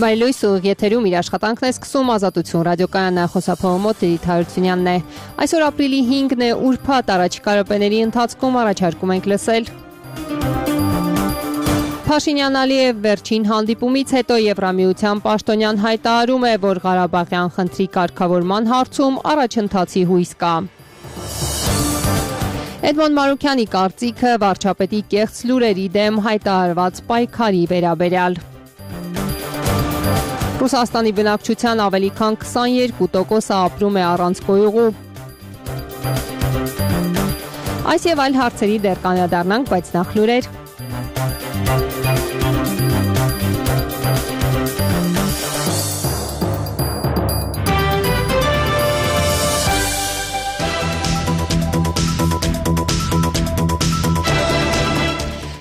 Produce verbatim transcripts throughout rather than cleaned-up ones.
Վայելույս ուղիղ եթերում իր աշխատանքն է սկսում Ազատություն ռադիոկայանը, խոսափողը մոտ Լիլիթ Հարությունյանն է։ Այսօր ապրիլի հինգն է, ուրբաթ, առաջիկա րոպեների ընթացքում առաջարկում ենք լսել. Փաշինյան-Ալիև վերջին հանդիպումից հետո Եվրամիության պաշտոնյան հայտարարում է, որ Ղարաբաղյան խնդրի կարգավորման հարցում առաջընթացի հույս կա։ Էդմոն Մարուքյանի կարծիքը վարչապետի կեղծ լուրերի դեմ հայտարարված պայքարի վերաբերյալ։ Ռուսաստանի բնակչության ավելի քան քսաներկու տոկոսը ապրում է առանց գոյուղու։ Այս եւ այլ հարցերի դեռ կանրադառնանք, բայց նախ լուրեր։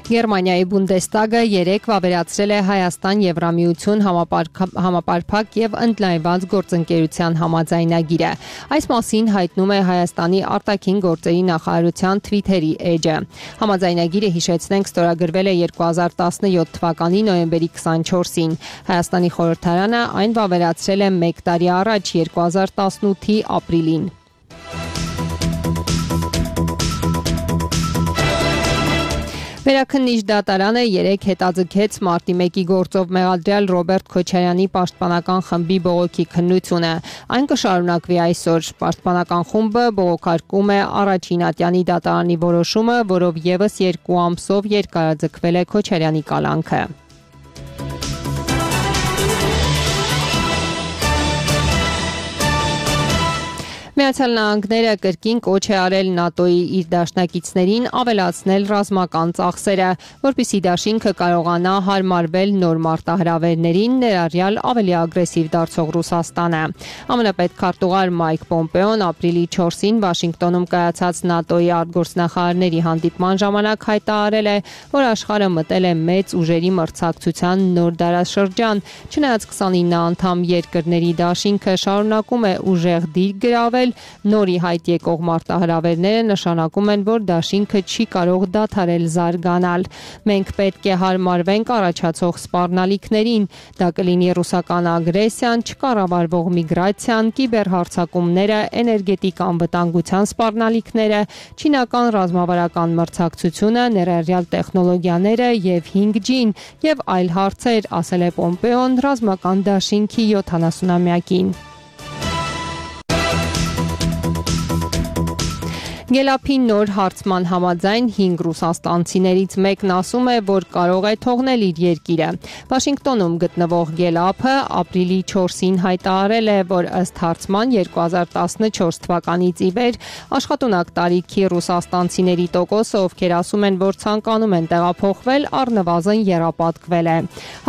Գերմանիայի Բունդեստագը երեկ վավերացրել է Հայաստան-Եվրամիություն համապարփակ եւ ընդլայնված գործընկերության համաձայնագիրը։ Այս մասին հայտնում է Հայաստանի արտաքին գործերի նախարարության Twitter-ի էջը։ Համաձայնագիրը, հիշեցնենք, ստորագրվել է երկու հազար տասնյոթ թվականի նոյեմբերի քսանչորսին։ Հայաստանի խորհրդարանը այն վավերացրել է մեկ տարի առաջ, երկու հազար տասնութի ապրիլին։ Վերաքննիչ դատարանը երեկ հետաձգեց մարտի մեկի գործով մեղադրյալ Ռոբերտ Քոչարյանի պաշտպանական խմբի բողոքի քննությունը։ Այն կշարունակվի այսօր։ Պաշտպանական խումբը բողոքարկում է առաջին ատյանի դատարանի որոշումը, որով ևս երկու ամսով երկարաձգվել է Քոչարյանի կալանքը։ Միացյալ Նահանգները կրկին կոչ է արել ՆԱՏՕ-ի իր դաշնակիցներին ավելացնել ռազմական ծախսերը, որպեսզի դաշինքը կարողանա հարմարվել նոր մարտահրավերներին, ներառյալ ավելի ագրեսիվ դարձող Ռուսաստանը։ ԱՄՆ պետքարտուղար Մայք Պոմպեոն ապրիլի չորսին Վաշինգտոնում կայացած ՆԱՏՕ-ի արտգործնախարարների հանդիպման ժամանակ հայտարարել է, որ աշխարհը մտել է մեծ ուժերի մրցակցության նոր դարաշրջան, չնայած քսանինը անդամ երկրների դաշինքը շարունակում է ուժեղ դիր գրավել, նորի հայտ եկող մարտահրավերները նշանակում են, որ դաշինքը չի կարող դադարել զարգանալ։ Մենք պետք է հարմարվենք առաջացող սպառնալիքներին, դա կլինի ռուսական ագրեսիան, չկառավարվող միգրացիան, կիբերհարձակումները, էներգետիկ անվտանգության սպառնալիքները, չինական ռազմավարական մրցակցությունը, ներառյալ տեխնոլոգիաները եւ հինգ ջին եւ այլ հարցեր, ասել է Պոմպեոն ռազմական դաշինքի յոթանասունամյակին։ Գելափի նոր հարցման համաձայն հինգ ռուսաստանցիներից մեկն ասում է, որ կարող է թողնել իր երկիրը։ Վաշինգտոնում գտնվող Գելափը ապրիլի չորսին հայտարարել է, որ ըստ հարցման երկու հազար տասնչորս թվականից ի վեր աշխատունակ տարիքի ռուսաստանցիների տոկոսը, ովքեր ասում են, որ ցանկանում են տեղափոխվել, առնվազն եռապատկվել է։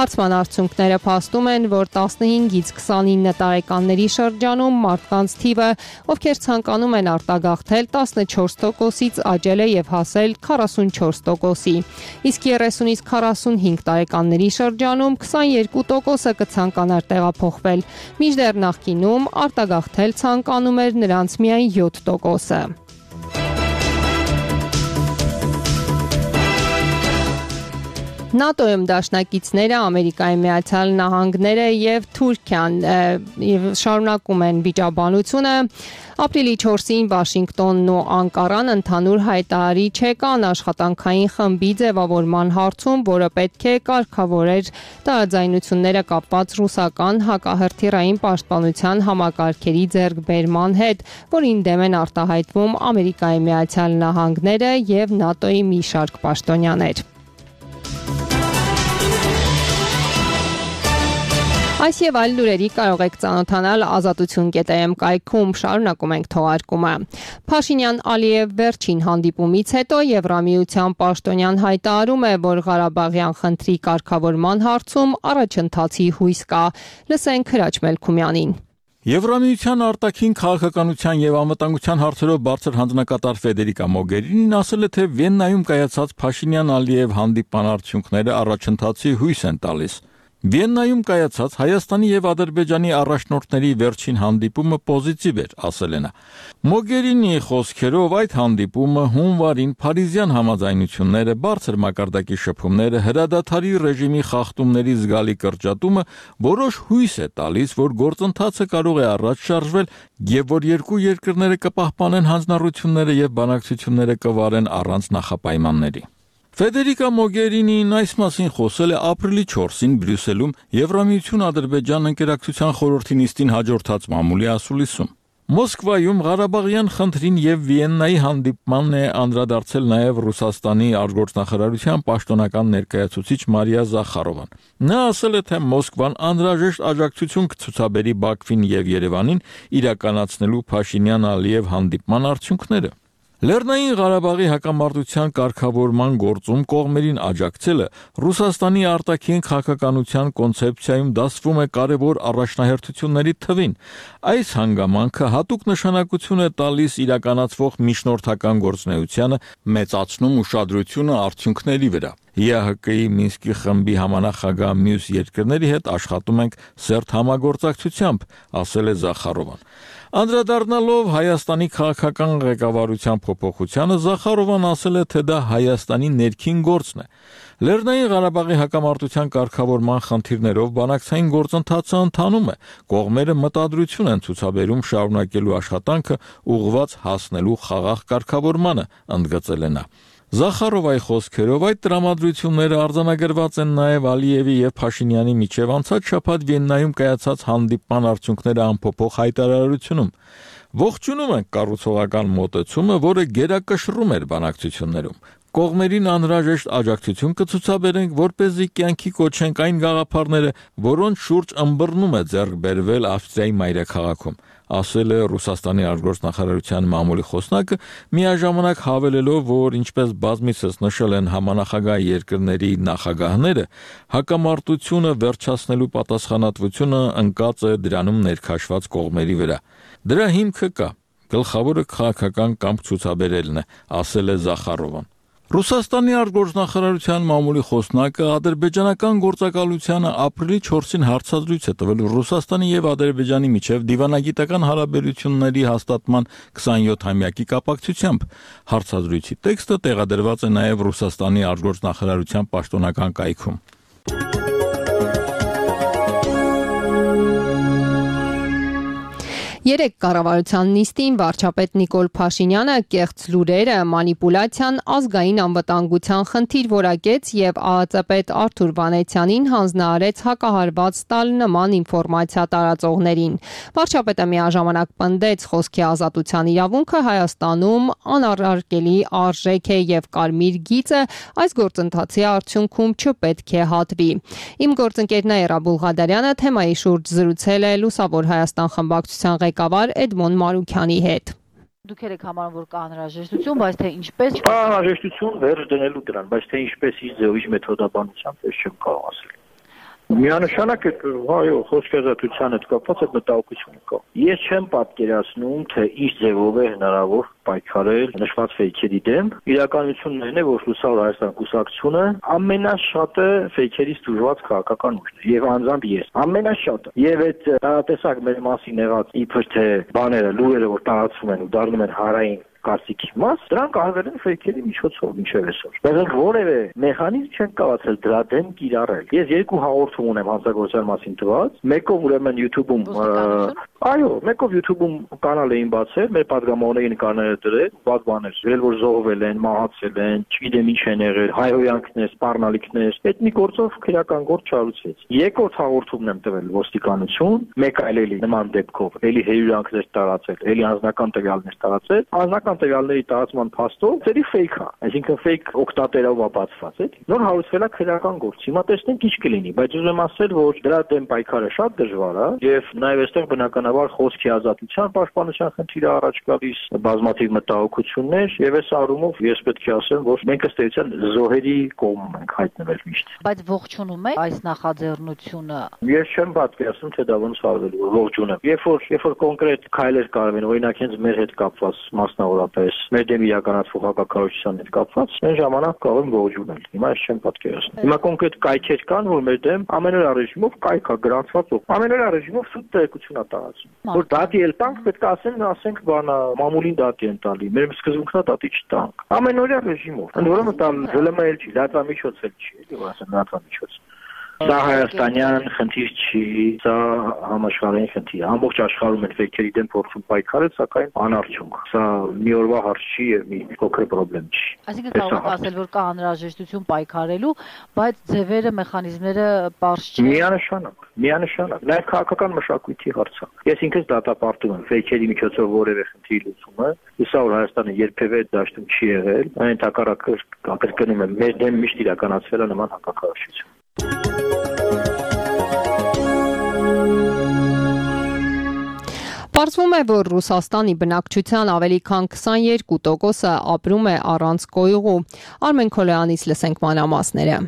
Հարցման արդյունքները փաստում են, որ տասնհինգից քսանինը տարեկանների շրջանում մարդկանց թիվը, ովքեր ցանկանում են արտագաղթել, տասնչորս տոկոսից աճել է եւ հասել քառասունչորս տոկոսի։ Իսկ երեսունից քառասունհինգ տարեկանների շրջանում քսաներկու տոկոսը կցանկանար տեղափոխվել, մինչդեռ նախկինում արտագաղթել ցանկանում էր նրանց միայն յոթ տոկոսը։ ՆԱՏՕ-ում դաշնակիցները Ամերիկայի Միացյալ Նահանգները եւ Թուրքիան եւ շարունակում են վիճաբանությունը։ Ապրիլի չորսին Վաշինգտոնն ու Անկարան ընդհանուր հայտարարի չեկան աշխատանքային խմբի ձևավորման հարցում, որը պետք է կարգավորեր տարաձայնությունները կապված ռուսական հակահրթիռային պաշտպանության համակարգերի ձեռքբերման հետ, որին դեմ են արտահայտվում Ամերիկայի Միացյալ Նահանգները եւ ՆԱՏՕ-ի մի շարք պաշտոնյաներ։ Այս եւ այլ լուրերի կարող եք ծանոթանալ ազատություն կետ էմ կայքում, շարունակում ենք թողարկումը։ Փաշինյան-Ալիև վերջին հանդիպումից հետո Եվրամիության պաշտոնյան հայտարարում է, որ Ղարաբաղյան խնդրի կարգավորման հարցում առաջընթացի հույս կա։ Լսենք Հրաչ Մելքումյանին։ Եվրամիության արտաքին քաղաքականության եւ անվտանգության հարցերով բարձր հանձնակատար Ֆեդերիկա Մոգերինին ասել է, թե Վիեննայում կայացած Փաշինյան-Ալիև հանդիպման արդյունքները առաջընթացի հույս են տալիս։ Վիեննայում կայացած Հայաստանի եւ Ադրբեջանի առաջնորդների վերջին հանդիպումը պոզիտիվ էր, ասել է նա։ Մոգերինիի խոսքերով այդ հանդիպումը հունվարին փարիզյան համաձայնությունները, բարձր մակարդակի շփումները, հրադադարի ռեժիմի խախտումների զգալի կրճատումը որոշ հույս է տալիս, որ գործընթացը կարող է առաջ շարժվել եւ որ երկու երկրները կպահպանեն հանձնառությունները եւ բանակցությունները կվարեն առանց նախապայմանների։ Ֆեդերիկա Մոգերինին այս մասին խոսել է ապրիլի չորսին Բրյուսելում Եվրամիություն-Ադրբեջան ընկերակցության խորհրդի նիստին հաջորդած մամուլի ասուլիսում։ Մոսկվայում Ղարաբաղյան խնդրին եւ Վիեննայի հանդիպմանն է անդրադարձել նաեւ Ռուսաստանի արտգործնախարարության պաշտոնական ներկայացուցիչ Մարիա Զախարովան։ Նա ասել է, թե Մոսկվան անհրաժեշտ աջակցություն կցուցաբերի Բաքվին եւ Երևանին իրականացնելու Փաշինյան-Ալիև հանդիպման արդյունքները։ Լեռնային Ղարաբաղի հակամարտության կարգավորման գործում կողմերին աջակցելը Ռուսաստանի արտաքին քաղաքականության կոնցեպցիայում դասվում է կարևոր առաջնահերթությունների թվին։ Այս հանգամանքը հատուկ նշանակություն է տալիս իրականացվող միջնորդական գործունեությանը, մեծացնում ուշադրությունը արդյունքների վրա։ ԵԱՀԿ-ի Մինսկի խմբի համանախագահ մյուս երկրների հետ աշխատում ենք սերտ համագործակցությամբ, ասել է Զախարովան։ Անդրադառնալով Հայաստանի քաղաքական ղեկավարության փոփոխությանը Զախարովան ասել է, թե դա Հայաստանի ներքին գործն է։ Լեռնային Ղարաբաղի հակամարտության կարգավորման խնդիրներով բանակցային գործընթացը ընթանում է։ Կողմերը մտադրություն են ցուցաբերում շարունակելու աշխատանքը ուղղված հասնելու խաղաղ կարգավորմանը, ընդգծել է նա։ Զախարովայի խոսքերով այդ տրամադրությունները արձանագրված են նաև Ալիևի եւ Փաշինյանի միջև անցած շաբաթ Վիեննայում կայացած հանդիպման արդյունքները ամփոփող հայտարարությունում։ Ողջունում ենք կառուցողական մոտեցումը, որը գերակշռում էր բանակցություններում։ Կողմերին անհրաժեշտ աջակցություն կցուցաբերենք, որպեսզի կյանքի կոչենք այն գաղափարները, որոնց շուրջ ըմբռնում է ձեռք բերվել Ավստրիայի մայրաքաղաքում, ասել է Ռուսաստանի արտգործնախարարության մամուլի խոսնակը, միաժամանակ հավելելով, որ ինչպես բազմիցս նշել են համանախագահ երկրների նախագահները, հակամարտությունը վերջացնելու պատասխանատվությունը ընկած է դրանում ներքաշված կողմերի վրա։ Դրա հիմքը կա, գլխավորը քաղաքական կամք ցուցաբերելն է, ասել է Զախարովան։ Ռուսաստանի արտգործնախարարության մամուլի խոսնակը ադրբեջանական գործակալությանը ապրիլի չորսին հարցազրույց է տվել Ռուսաստանի եւ Ադրբեջանի միջև դիվանագիտական հարաբերությունների հաստատման քսանյոթամյակի կապակցությամբ։ Հարցազրույցի տեքստը տեղադրված է նաեւ Ռուսաստանի արտգործնախարարության պաշտոնական կայքում։ Երեք կառավարության նիստին վարչապետ Նիկոլ Փաշինյանը կեղծ լուրերը, մանիպուլյացիան, ազգային անվտանգության խնդիր որակեց եւ ԱԱԾ պետ Արթուր Վանեցյանին հանձնարարեց հակահարված տալ նման ինֆորմացիա տարածողներին։ Վարչապետը միաժամանակ պնդեց խոսքի ազատության իրավունքը Հայաստանում անառարկելի արժեք է եւ կարմիր գիծը այս գործընթացի արդյունքում չպետք է հատվի։ Իմ գործընկերն Էրա Բուլղադարյանը թեմայի շուրջ զրուցել է Լուսավոր Հայաստան խմբակցության ղեկավար Էդմոն Մարուքյանի հետ։ Դուք եք համարում, որ կա անհրաժեշտություն, բայց թե ինչպես կա անհրաժեշտություն վերջ դնելու դրան, բայց թե ինչպես ի ձև, ինչ մեթոդաբանությամբ, ես չեմ կարող ասել։ Միանշանակ է, այո, խոսքի ազատության հետ կապված այդ մտահոգությունը կա։ Ես չեմ պատկերացնում, թե ինչ ձևով է հնարավոր պայքարել նշված ֆեյքերի դեմ։ Իրականությունն է, որ Լուսավոր Հայաստան կուսակցությունը ամենաշատը ֆեյքերից դժվար քաղաքական ուժն է, եւ անձամբ ես ամենաշատը։ Եվ այդ տարատեսակ մեր մասին եղած իբր թե բաները, լուրերը, որ տարածվում են ու դառնում են հարային կարծիքի մաս, դրանք արվել են ֆեյքերի միջոցով մինչև այսօր։ Բայց որևէ մեխանիզմ չեն կարողացել դրա դեմ կիրառել։ Ես երկու հաղորդում ունեմ հանցագործության մասին տված, մեկով ուրեմն YouTube-ում, այո, մեկով YouTube-ում կանալ էին բացել, մեր падգամավորների նկարները դրել, բաց բաներ, գրել որ զոհվել են, մահացել են, չգիտեմ ինչ են եղել, հայհոյանքներ, սպառնալիքներ, այդ մի գործով քրեական գործ չարուցեց։ Երկրորդ հաղորդումն եմ տվել ոստիկանություն, մեկ այլ էլի նման դեպքով, էլի հերյուրանքներ տարածել, էլի անձնական տվյալներ տարածել, անձնական տվյալների տարածման փաստով ծերի ֆեյք է, այսինքն ֆեյք օկտատերով ապացված է։ Նոր հարուցվել է քրեական գործ։ Հիմա տեսնենք ինչ կլինի, բայց ուզում եմ ասել, որ դրա դեմ պայքարը շատ դժվար է եւ նաեւ այստեղ բնականաբար բնականաբար խոսքի ազատության պաշտպանության խնդիրը առաջ գալիս, բազմաթիվ մտահոգություններ, եւ այս առումով ես պետք է ասեմ, որ մենք ըստ էության զոհերի կողմում ենք հայտնվել միշտ։ Բայց ողջունում եք այս նախաձեռնությունը։ Ես չեմ պատկերացնում, թե դա ոնց արվելու է, ողջունում։ Երբ որ երբ որ կոնկրետ քայլեր կարող են, օրինակ հենց մեր հետ կապված, մասնավորապես մեր դեմ իրականացվող հակակարողության հետ կապված, այն ժամանակ կարող են ողջունել։ Հիմա ես չեմ պատկերացնում։ Հիմա կոնկրետ կայքեր կան, որ մեր դեմ ամենօրյա ռեժիմով կայք է գրանցված, ամենօրյա ռեժիմով սուտ տեղեկություն է տարածում։ Որ դատի էլ տանք, պետք է ասեն, ասենք բանա, մամուլին դատի են տալի, մեր սկզբունքնա դատի չտանք։ Ամենօրյա ռեժիմով։ Ընդ որում դա ԶԼՄ-ել չի, լրատվամիջոց էլ չի, էլի որ ասեն լրատվամիջոց։ Դա հայաստանյան խնդիր չի, դա համաշխարհային խնդիր է։ Ամբողջ աշխարհում են վեքերի դեմ փորձում պայքարել, սակայն անարդյունք։ Սա մի օրվա հարց չի եւ մի փոքր խնդրեմ չի։ Այսինքն կարող եք ասել, որ կա անհրաժեշտություն պայքարելու, բայց ձևերը, մեխանիզմները པարզ չեն։ Միանշանակ, միանշանակ։ Նաեւ քաղաքական մշակույթի հարց է։ Ես ինքս դատապարտում եմ վեքերի միջոցով որևէ խնդիր լուծումը։ Իսա որ Հայաստանը երբևէ դաշտում չի եղել, այն ընդհակառակը կրկնում եմ, մեր դեմ միշտ իրականացվել է նման հակակարողություն։ Պարզվում է, որ Ռուսաստանի բնակչության ավելի քան քսաներկու տոկոսը ապրում է առանց կոյուղու։ Արմեն Քոլոյանից լսենք մանրամասները։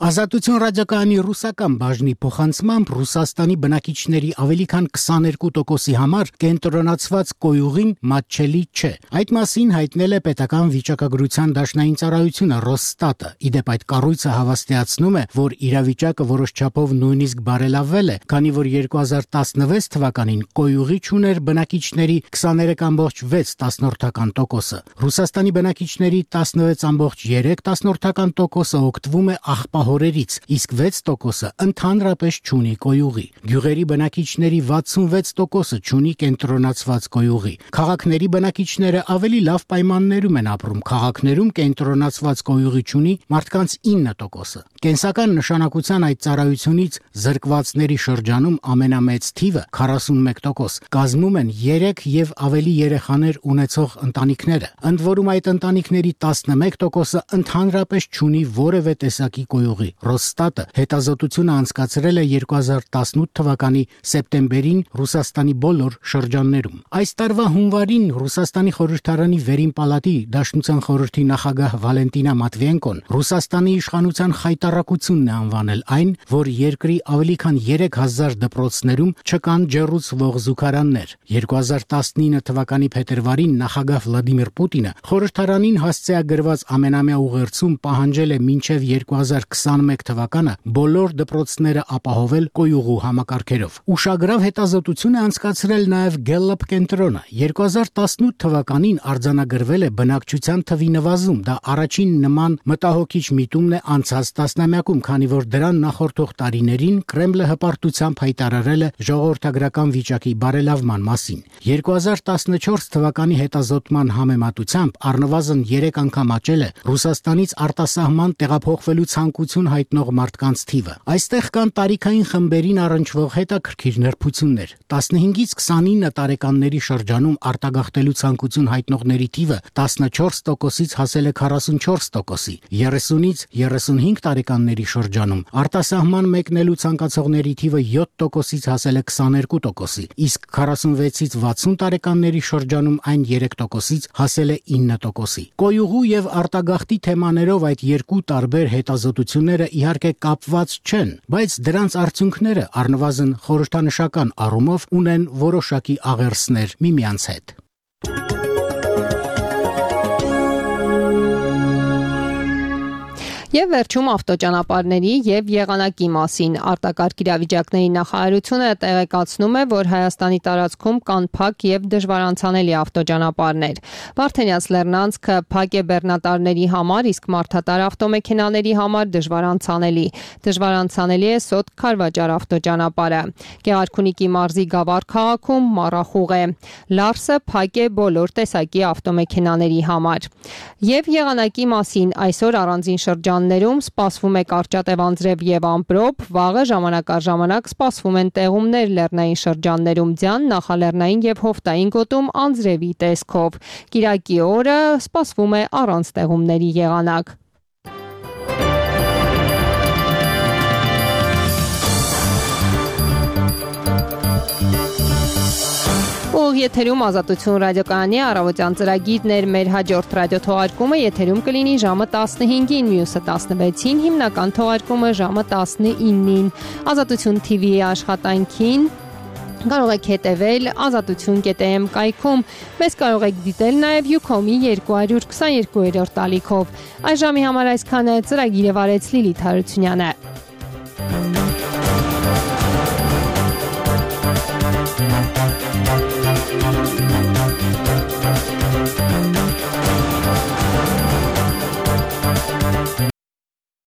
Ազատություն ռադիոկայանի ռուսական բաժնի փոխանցմամբ Ռուսաստանի բնակիչների ավելի քան քսաներկու տոկոսի համար կենտրոնացված կոյուղին մատչելի չէ։ Այդ մասին հայտնել է պետական վիճակագրության դաշնային ծառայությունը Ռոսստատը։ Իդեպ այդ կառույցը հավաստիացնում է, որ իրավիճակը որոշ չափով նույնիսկ բարելավվել է, քանի որ երկու հազար տասնվեց թվականին կոյուղի չուներ բնակիչների քսաներեք կόμμα վեց տասնորդական տոկոսը։ Ռուսաստանի բնակիչների տասնվեց կόμμα երեք տասնորդական տոկոսը օգտվում է աղբահորերից, իսկ վեց տոկոսը ընդհանրապես չունի կոյուղի։ Գյուղերի բնակիչների վաթսունվեց տոկոսը չունի կենտրոնացված կոյուղի։ Քաղաքների բնակիչները ավելի լավ պայմաններում են ապրում։ Քաղաքներում կենտրոնացված կոյուղի չունի մարդկանց ինը տոկոսը։ Կենսական նշանակության այդ ծառայությունից զրկվածների շրջանում ամենամեծ թիվը քառասունմեկ տոկոս կազմում են երեք եւ ավելի երեխաներ ունեցող ընտանիքները։ Ընդ որում այդ ընտանիքների տասնմեկ տոկոսը ընդհանրապես չունի որևէ տեսակի կոյուղի։ Ռոսստատը հետազոտությունը անցկացրել է երկու հազար տասնութ թվականի սեպտեմբերին Ռուսաստանի բոլոր շրջաններում։ Այս տարվա հունվարին Ռուսաստանի խորհրդարանի վերին պալատի Դաշնության խորհրդի նախագահ Վալենտինա Մատվիենկոն Ռուսաստանի իշխանության խայտառակությունն է անվանել այն, որ երկրի ավելի քան երեք հազար դպրոցներում չկան ջեռուցվող զուգարաններ։ երկու հազար տասնինը թվականի փետրվարին նախագահ Վլադիմիր Պուտինը խորհրդարանին հասցեագրված ամենամյա ուղերձում պահանջել է մինչև երկու հազար քսաներեք թվականը բոլոր դպրոցները ապահովել կոյուղու համակարգերով։ Ուշագրավ հետազոտություն է անցկացրել նաև Gallup կենտրոնը։ երկու հազար տասնութ թվականին արձանագրվել է բնակչության թվի նվազում։ Դա առաջին նման մտահոգիչ միտումն է անցած տասնամյակում, քանի որ դրան նախորդող տարիներին Կրեմլը հպարտությամբ հայտարարել է ժողովրդագրական վիճակի բարելավման մասին։ երկու հազար տասնչորս թվականի հետազոտման համեմատությամբ առնվազն երեք անգամ աճել է Ռուսաստանից արտասահման տեղափոխվելու ցանկություն հայտնող մարդկանց թիվը։ Այստեղ կան տարիքային խմբերին առնչվող հետաքրքիր նրբություններ։ տասնհինգից քսանինը տարեկանների շրջանում արտագաղթելու ցանկություն հայտնողների թիվը տասնչորս տոկոսից հասել է քառասունչորս տոկոսի, երեսունից երեսունհինգ տարեկանների շրջանում արտասահման մեկնելու ցանկացողների թիվը յոթ տոկոսից հասել է քսաներկու տոկոսի, իսկ քառասունվեցից վաթսուն տարեկանների շրջանում այն երեք տոկոսից հասել է ինը տոկոսի։ Կոյուղու եւ արտագաղթի թեմաներով այդ երկու տարբեր հետազոտությունները իհարկե կապված չեն, բայց դրանց արդյունքները առնվազն խորհրդանշական առումով ունեն որոշակի աղերսներ միմյանց հետ։ Եվ վերջում ավտոճանապարհների եւ եղանակի մասին արտակարգ իրավիճակների նախարարությունը տեղեկացնում է, որ Հայաստանի տարածքում կան փակ եւ դժվարանցանելի ավտոճանապարհներ։ Վարդենյաց լեռնանցքը փակ է բեռնատարների համար, իսկ մարդատար ավտոմեքենաների համար դժվարանցանելի։ Դժվարանցանելի է Սոտ Քարվաճար ավտոճանապարհը։ Գեղարքունիքի մարզի Գավառ քաղաքում մառախուղ է։ Լարսը փակ է բոլոր տեսակի ավտոմեքենաների համար։ Եվ եղանակի մասին այսօր առանձին շրջան Ներում սպասվում է կարճատև անձրև եւ ամպրոպ, վաղը ժամանակ առ ժամանակ սպասվում են տեղումներ լեռնային շրջաններում ձյան, նախալեռնային եւ հովտային գոտում անձրևի տեսքով։ Կիրակի օրը սպասվում է առանց տեղումների եղանակ։ եթերում Ազատություն ռադիոկայանի առավոտյան ծրագիրն էր, մեր հաջորդ ռադիոթողարկումը եթերում կլինի ժամը տասնհինգին, մյուսը տասնվեցին, հիմնական թողարկումը ժամը տասնինին։ Ազատություն թի վի-ի աշխատանքին կարող եք հետևել ազատություն կետ էմ կայքում։ Մեզ կարող եք դիտել նաև Յուքոմի երկու քսաներկու տալիքով։ Այս ժամի համար այսքանը, ծրագիրը վարեց Լիլիթ Հարությունյանը։